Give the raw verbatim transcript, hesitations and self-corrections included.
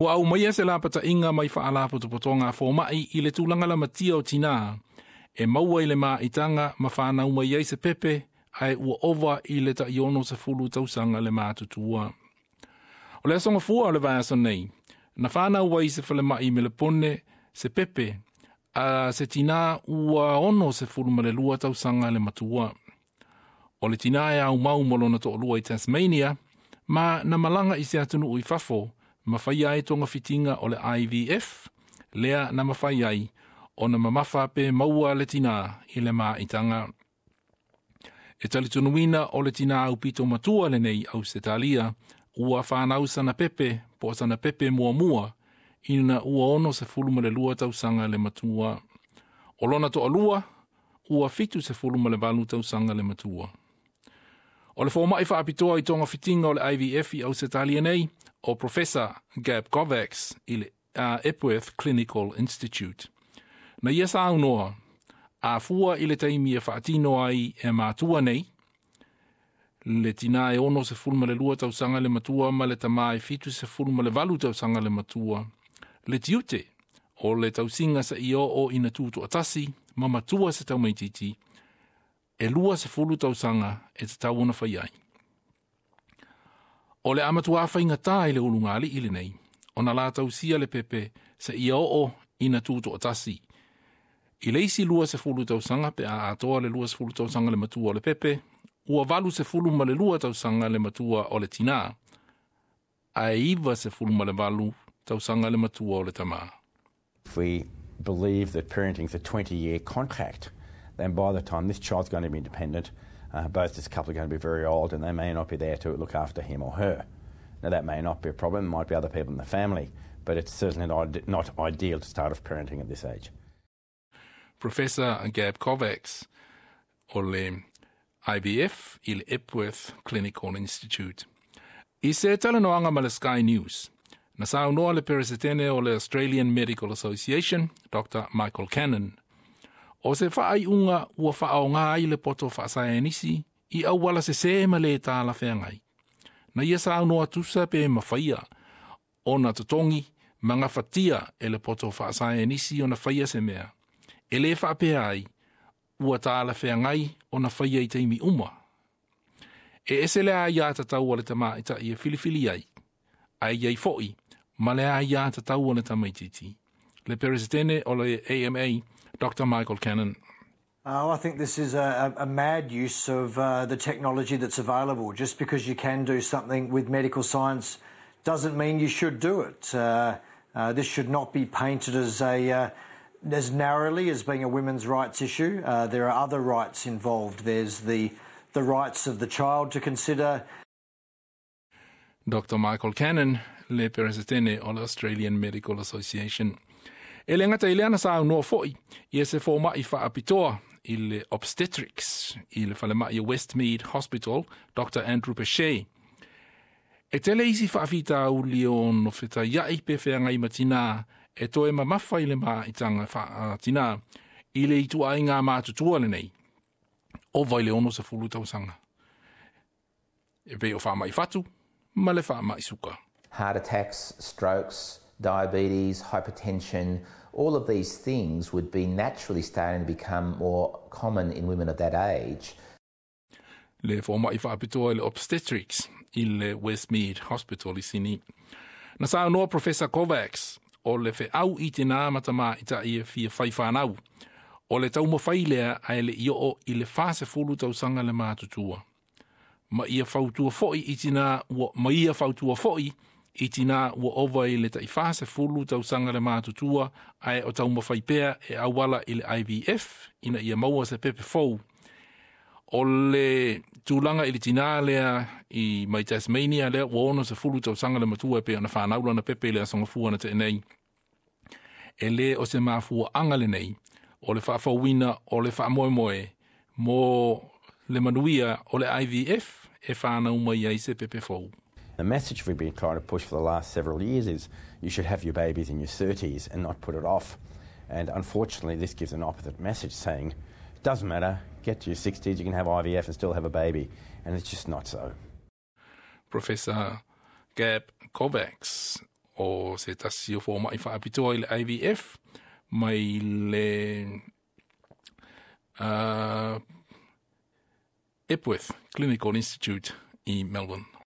Ua aumaia se lapataʻiga mai faalapotopotoga a fomaʻi i le tulaga lamatia o tinā e maua i le maʻitaga ma fanau mai ai se pepe ae ua ova i le taʻi sefulu tausaga le matutua. O le aso Gafua o le vaiaso nei, na fanau ai i se falemaʻi i Melepone se pepe a se tinā ua ono sefulu ma le lua tausaga le matua. O le tinā e aumau ma lona toʻalua i Tasmania, ma na malaga i se atunuu i fafo, ma faia ai togafitiga o le I V F, lea na mafai ai ona mamafa pe maua le tinā i le maʻitaga. E talitonuina o le tinā aupito matua lenei Ausetalia, ua fanau sana pepe po o sana pepe muamua ina ua ono sefulu ma le lua tausaga le matua. O lona toʻalua, ua fitu sefulu ma le valu tausaga le matua. O le fomaʻi faapitoa i togafitiga o le I V F i Ausetalia nei, o Professor Gab Kovacs i le uh, Epworth Clinical Institute. Na ia saunoa, a fua i le taimi e faatino ai e matua nei, le tinā e ono sefulu ma le lua tausaga le matua ma le tamā e fitu sefulu ma le valu tausaga le matua. Le tiute o le tausiga seia oo ina tutoʻatasi ma matua se taumaititi, e lua sefulu tausaga e tatau ona fai ai. O le a matuā faigata i le ulugalii lenei, ona la tausia le pepe seia oo ina tutoʻatasi. I le isi lua sefulu tausaga pe a atoa le lua sefulu tausaga le matua o le pepe, ua valu sefulu ma le lua tausaga le matua o le tinā, ae iva sefulu ma le valu tausaga le matua o le tamā. If we believe that parenting is a twenty-year contract, then by the time this child's going to be independent, uh, both this couple are going to be very old and they may not be there to look after him or her. Now, that may not be a problem, there might be other people in the family, but it's certainly not, not ideal to start off parenting at this age. Professor Gab Kovacs o le I V F i le Epworth Clinical Institute. I se talanoaga ma le Sky News, na saunoa le peresetene o le Australian Medical Association, Doctor Michael Cannon. O se faaiuga ua faaaogā ai le poto faasaienisi i auala sesē ma lē talafeagai. Na ia saunoa tusa pe mafaia ona totogi ma gafatia e le poto faasaienisi ona faia se mea. E lē faapea ai, ua talafeagai ona faia i taimi uma. E ese le aiatatau a le tamaʻitaʻi e filifili ai, ae i ai foʻi, ma le aiatatau a le tamaititi. Le peresetene o le A M A, Doctor Michael Cannon. Uh, I think this is a, a mad use of uh, the technology that's available. Just because you can do something with medical science doesn't mean you should do it. Uh, uh, this should not be painted as a uh, as narrowly as being a women's rights issue. Uh, there are other rights involved. There's the the rights of the child to consider. Doctor Michael Cannon, le peresetene o le Australian Medical Association. E le gata i lea na saunoa foʻi ia se fomaʻi faapitoa i le obstetrics i le falemaʻi Westmead Hospital, Doctor Andrew Pechet. E tele isi faafitauli ono fetaiaʻi pe feagai ma tinā e toe mamafa i le maʻitaga faatinā i le ituaiga matutua lenei. Ova i le ono sefulu tausaga. E pei o faamaʻi fatu ma le faamaʻi suka. Heart attacks, strokes, diabetes, hypertension, all of these things would be naturally starting to become more common in women of that age. Le fomaʻi faapitoa i le obstetrics i le Westmead Hospital i Sini. Na saunoa Professor Kovacs o le feau i tinā ma tamaʻitaʻi e fia fai fanau. O le taumafai lea ae leʻi oo i le fasefulu tausaga le matutua. Ma ia fautua foʻi i tinā ua, ma ia fautua foʻi i tinā ua ova i le taʻifasefulu tausaga le matutua ae o taumafai pea e auala i le I V F ina ia maua se pepe fou. O le tulaga i le tinā lea i mai Tasmania lea ua ono sefulu tausaga le matua e pei ona fanau lana pepe i le aso Gafua na teʻe nei. E lē o se mafuaʻaga lenei o le faafouina o le faamoemoe mo le manuia o le I V F e fanau mai ai se pepe fou. The message we've been trying to push for the last several years is you should have your babies in your thirties and not put it off. And unfortunately, this gives an opposite message saying, it doesn't matter, get to your sixties, you can have I V F and still have a baby. And it's just not so. Professor Gab Kovacs O se tasi o fomaʻi faapitoa i le I V F mai le uh, Epworth Clinical Institute i Melbourne.